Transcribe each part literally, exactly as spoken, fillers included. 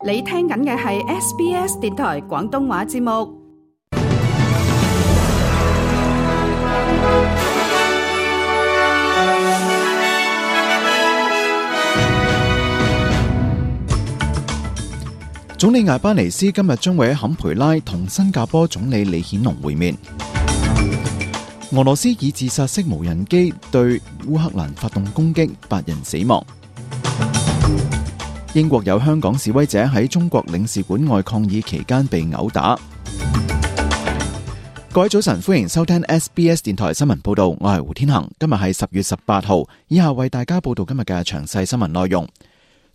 你聽緊嘅係 S B S 電台廣東話節目。總理艾巴尼斯今日將會喺坎培拉同新加坡總理李顯龍會面。俄羅斯以自殺式無人機對烏克蘭發動攻擊，八人死亡。英國有香港示威者喺中國領事館外抗議期間被毆打。各位早晨，歡迎收聽 S B S 電台新聞報道，我係胡天恒。今日係十月十八號，以下為大家報道今日嘅詳細新聞內容。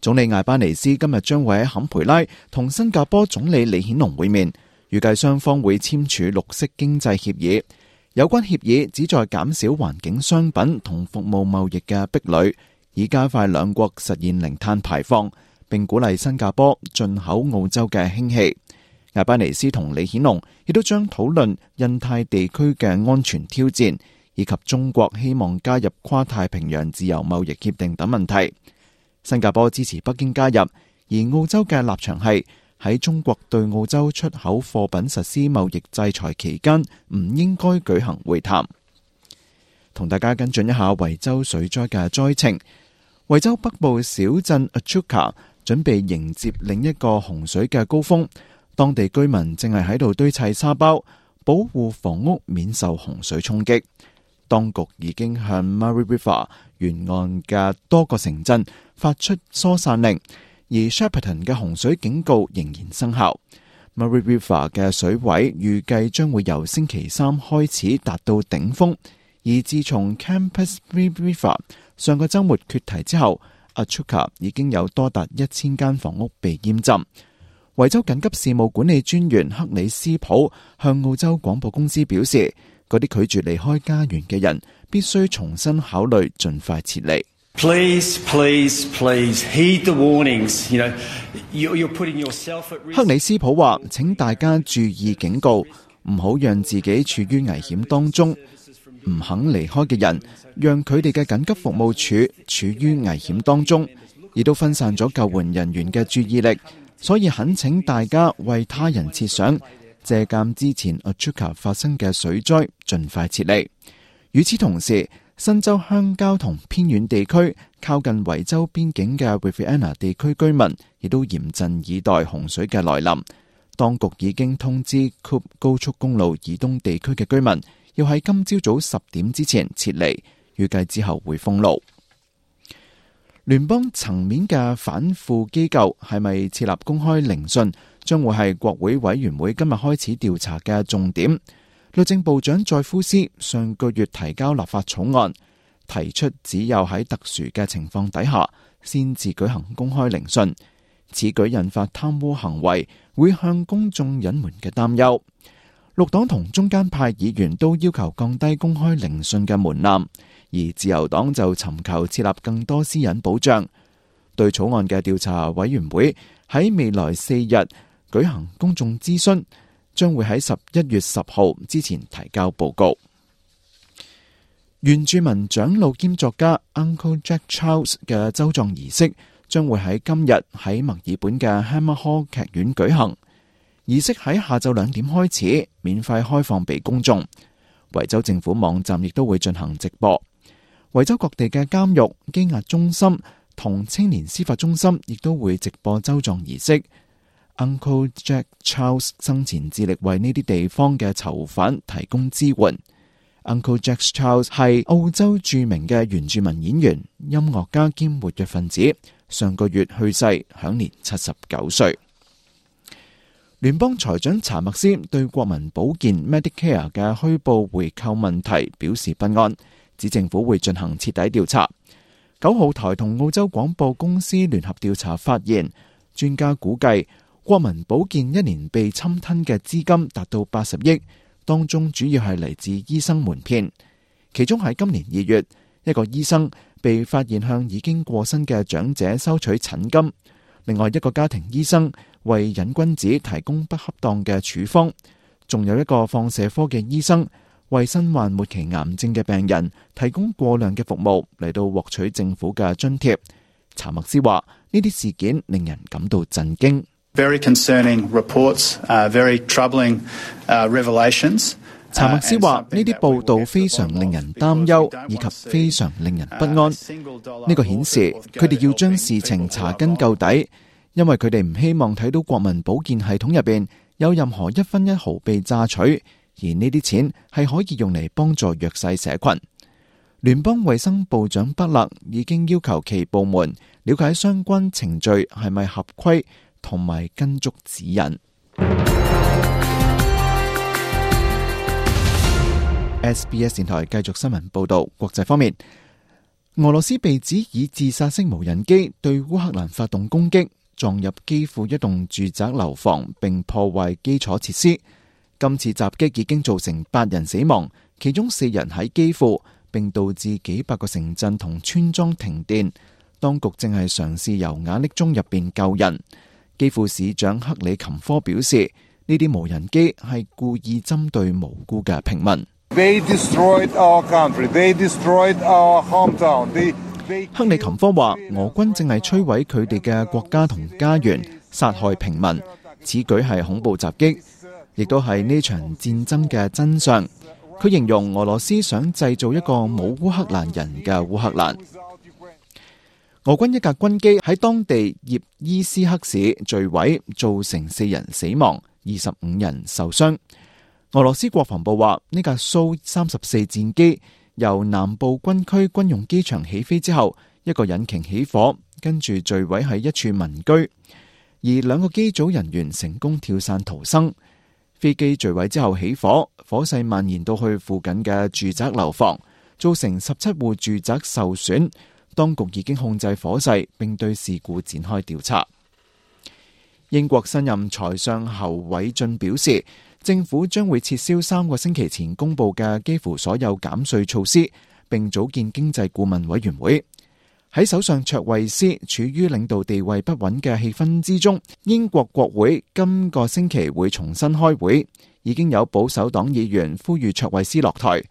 總理艾巴尼斯今日將會喺坎培拉同新加坡總理李顯龍會面，預計雙方會簽署綠色經濟協議。有關協議旨在減少環境商品同服務貿易嘅壁壘，以加快兩國實現零碳排放，並鼓勵新加坡進口澳洲嘅氫氣。艾巴尼斯同李顯龍亦都將討論印太地區嘅安全挑戰，以及中國希望加入跨太平洋自由貿易協定等問題。新加坡支持北京加入，而澳洲嘅立場係喺中國對澳洲出口貨品實施貿易制裁期間，唔應該舉行會談。同大家跟進一下維州水災嘅災情。維州北部小鎮 Echuca 準備迎接另一個洪水嘅高峰，當地居民正係喺度堆砌沙包，保護房屋免受洪水衝擊。當局已經向 Murray River 沿岸嘅多個城鎮發出疏散令，而 Shepparton 嘅洪水警告仍然生效。Murray River 嘅水位預計將會由星期三開始達到頂峰，而自從 Campaspe River 上個週末決堤之後， Echuca 已經有多達一千間房屋被淹浸。維州緊急事務管理專員克里斯普向澳洲廣播公司表示，嗰啲拒絕離開家園嘅人必須重新考慮盡快撤離。Please, please, please heed the warnings. You know, you're putting yourself at risk. 克里斯普話：請大家注意警告，唔好讓自己處於危險當中。唔肯離開嘅人，讓佢哋嘅緊急服務處處於危險當中，亦都分散咗救援人員嘅注意力。所以懇請大家為他人設想，借鑒之前 Echuca 發生嘅水災，盡快撤離。與此同時，新州鄉郊同偏遠地區靠近維州邊境嘅 Riverina 地區居民，亦都嚴陣以待洪水嘅來臨。當局已經通知 Coop 高速公路以東地區嘅居民，要喺今朝早十點之前撤離，預計之後會封路。聯邦層面嘅反腐機構係咪設立公開聆訊，將會係國會委員會今日開始調查嘅重點。律政部長載夫斯上個月提交立法草案，提出只有喺特殊嘅情況底下先至舉行公開聆訊。此舉引發貪污行為會向公眾隱瞞嘅擔憂。綠黨同中間派議員都要求降低公開聆訊嘅門檻，而自由黨就尋求設立更多私隱保障。對草案嘅調查委員會喺未來四日舉行公眾諮詢，將會喺十一月十號之前提交報告。原住民長老兼作家 Uncle Jack Charles 嘅州葬儀式將會喺今日喺墨爾本嘅 Hammer Hall 劇院舉行。儀式喺下晝兩點開始，免費開放俾公眾。維州政府網站亦都會進行直播。維州各地嘅監獄、羈押中心同青年司法中心亦都會直播州葬儀式。Uncle Jack Charles 生前致力為呢啲地方嘅囚犯提供支援。Uncle Jack Charles 係澳洲著名嘅原住民演員、音樂家兼活躍分子，上個月去世，享年七十九歲。聯邦財長查默斯對國民保健 Medicare 嘅虛報回購問題表示不安，指政府會進行徹底調查。九號台同澳洲廣播公司聯合調查發現，專家估計國民保健一年被侵吞嘅資金達到八十億，當中主要係嚟自醫生瞞騙。其中喺今年二月，一個醫生被發現向已經過身嘅長者收取診金，另外一個家庭醫生為癮君子提供不恰當嘅處方，仲有一個放射科嘅醫生為身患末期癌症嘅病人提供過量嘅服務嚟到獲取政府嘅津貼。查默斯話呢啲事件令人感到震驚。Very concerning reports, uh, very troubling uh, revelations. 查默斯話：呢啲報道非常令人擔憂，以及非常令人不安。呢個顯示佢哋要將事情查根究底，因為佢哋唔希望睇到國民保健系統入邊有任何一分一毫被榨取，而呢啲錢係可以用嚟幫助弱勢社群。聯邦衛生部長北勒已經要求其部門了解相關程序係咪合規，同埋跟足指引。S B S 電台繼續新聞報道。國際方面，俄羅斯被指以自殺式無人機對烏克蘭發動攻擊，撞入基輔一棟住宅樓房，並破壞基礎設施。今次襲擊已經造成八人死亡，其中四人喺基輔，並導致幾百個城鎮同村莊停電。當局正係嘗試由瓦礫中入邊救人。基輔市長克里琴科表示，呢啲無人機係故意針對無辜嘅平民。They destroyed our country. They destroyed our hometown. They, they... 克里琴科話，俄軍正係摧毀佢哋嘅國家同家園，殺害平民。此舉係恐怖襲擊，亦都係呢場戰爭嘅真相。佢形容俄羅斯想製造一個冇烏克蘭人嘅烏克蘭。俄軍一架軍機喺當地葉伊斯克市墜毀，造成四人死亡，二十五人受傷。俄羅斯國防部話，呢架蘇三十四戰機由南部軍區軍用機場起飛之後，一個引擎起火，跟住墜毀喺一處民居，而兩個機組人員成功跳傘逃生。飛機墜毀之後起火，火勢蔓延到去附近嘅住宅樓房，造成十七戶住宅受損。當局已經控制火勢，並對事故展開調查。英國新任財相侯偉俊表示，政府將會撤銷三個星期前公布嘅幾乎所有減稅措施，並組建經濟顧問委員會。喺首相卓慧思處於領導地位不穩嘅氣氛之中，英國國會今個星期會重新開會。已經有保守黨議員呼籲卓慧思落台，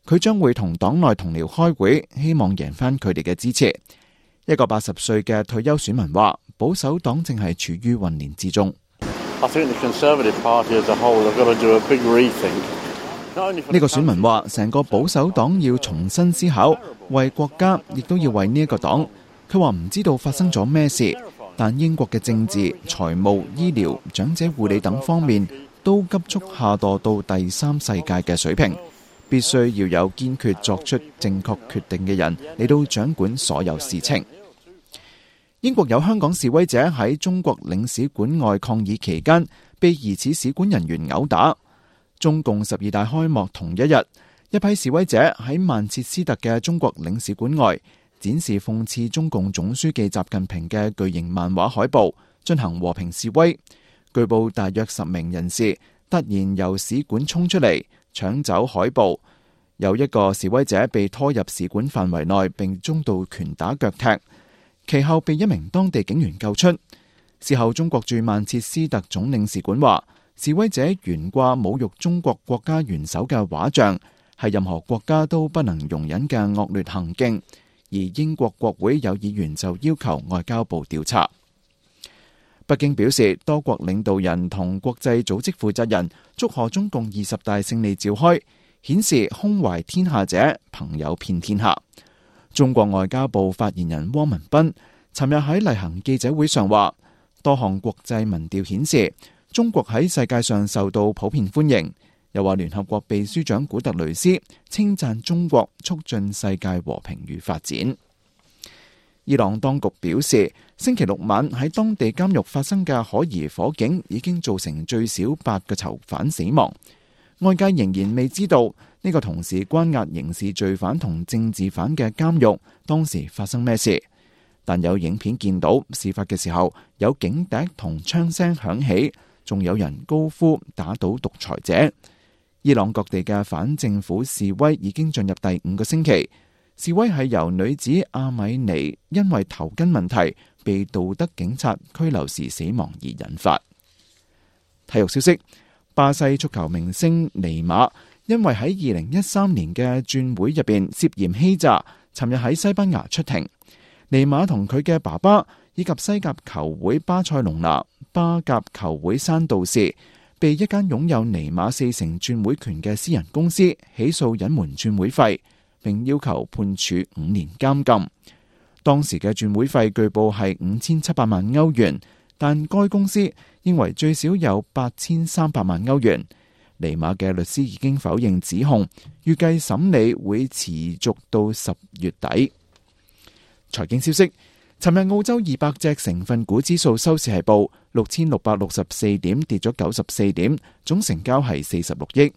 佢將會同黨內同僚開會，希望贏翻佢哋嘅支持。一個八十歲嘅退休選民話，保守黨正係處於混亂之中。I think the Conservative Party as a whole have got to do a big rethink. 呢個選民話，成個保守黨要重新思考，為國家亦都要為呢一個黨。佢話唔知道發生咗咩事，但英國嘅政治、財務、醫療、長者護理等方面都急速下墮到第三世界嘅水平，必須要有堅決作出正確決定嘅人嚟到掌管所有事情。英國有香港示威者喺中國領事館外抗議期間，被疑似使館人員毆打。中共十二大開幕同一日，一批示威者喺曼徹斯特嘅中國領事館外展示諷刺中共總書記習近平嘅巨型漫畫海報，進行和平示威。據報大約十名人士突然由使館衝出嚟搶走海報，有一個示威者被拖入使館範圍內，並中度拳打腳踢。其後被一名當地警員救出。事後，中國駐曼徹斯特總領事館話，示威者懸掛侮辱中國國家元首嘅畫像，係任何國家都不能容忍嘅惡劣行徑。而英國國會有議員就要求外交部調查。北京表示，多國領導人同國際組織負責人祝賀中共二十大勝利召開，顯示胸懷天下者，朋友遍天下。中國外交部發言人汪文斌尋日喺例行記者會上話，多項國際民調顯示中國喺世界上受到普遍歡迎。又話聯合國秘書長古特雷斯稱讚中國促進世界和平與發展。伊朗當局表示，星期六晚喺當地監獄發生嘅可疑火警已經造成最少八個囚犯死亡。外界仍然未知道呢個同時關押刑事罪犯同政治犯嘅監獄當時發生咩事，但有影片見到事發嘅時候有警笛同槍聲響起，仲有人高呼打倒獨裁者。伊朗各地嘅反政府示威已經進入第五個星期，示威係由女子阿米尼因為頭巾問題被道德警察拘留時死亡而引發。體育消息，巴西足球明星尼馬因為喺二零一三年嘅轉會入邊涉嫌欺詐，尋日喺西班牙出庭。尼馬同佢嘅爸爸以及西甲球會巴塞隆拿巴甲球會山度士被一間擁有尼馬四成轉會權嘅私人公司起訴隱瞞轉會費，並要求判處五年監禁。當時嘅轉會費據報係五千七百萬歐元，但該公司認為最少有八千三百萬歐元。尼馬嘅律師已經否認指控，預計審理會持續到十月底。財經消息，尋日澳洲二百隻成分股指數收市係報六千六百六十四點，跌咗九十四點，總成交係四十六億。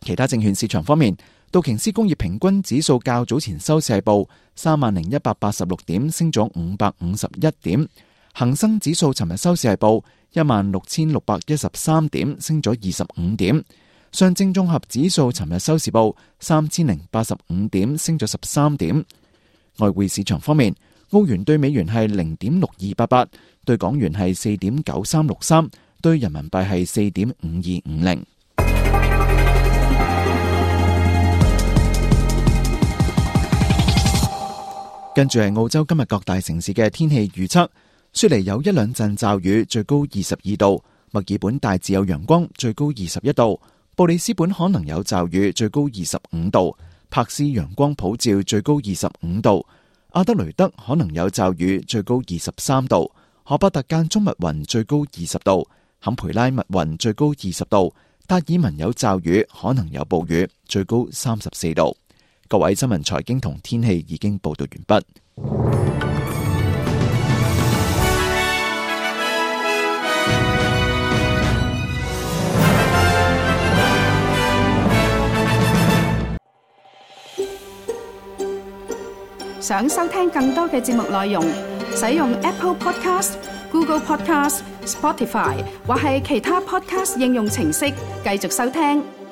其他證券市場方面，道瓊斯工業平均指數較早前收市係報三萬零一百八十六點，升咗五百五十一點。恒生指數尋日收市係報一萬六千六百一十三點，升咗二十五點。上證綜合指數尋日收市報三千零八十五點，升咗十三點。外匯市場方面，澳元對美元係零點六二八八，對港元係四點九三六三，對人民幣係四點五二五零。跟住係澳洲今日各大城市嘅天氣預測。雪梨有一兩陣驟雨，最高二十二度；墨爾本大致有陽光，最高二十一度；布里斯本可能有驟雨，最高二十五度；柏斯陽光普照，最高二十五度；阿德雷德可能有驟雨，最高二十三度；荷伯特間中密雲，最高二十度；坎培拉密雲，最高二十度；達爾文有驟雨，可能有暴雨，最高三十四度。各位新聞財經同天氣已經報道完畢。想收聽更多嘅節目內容，使用 Apple Podcast、Google Podcast、Spotify 或係其他 Podcast 應用程式繼續收聽。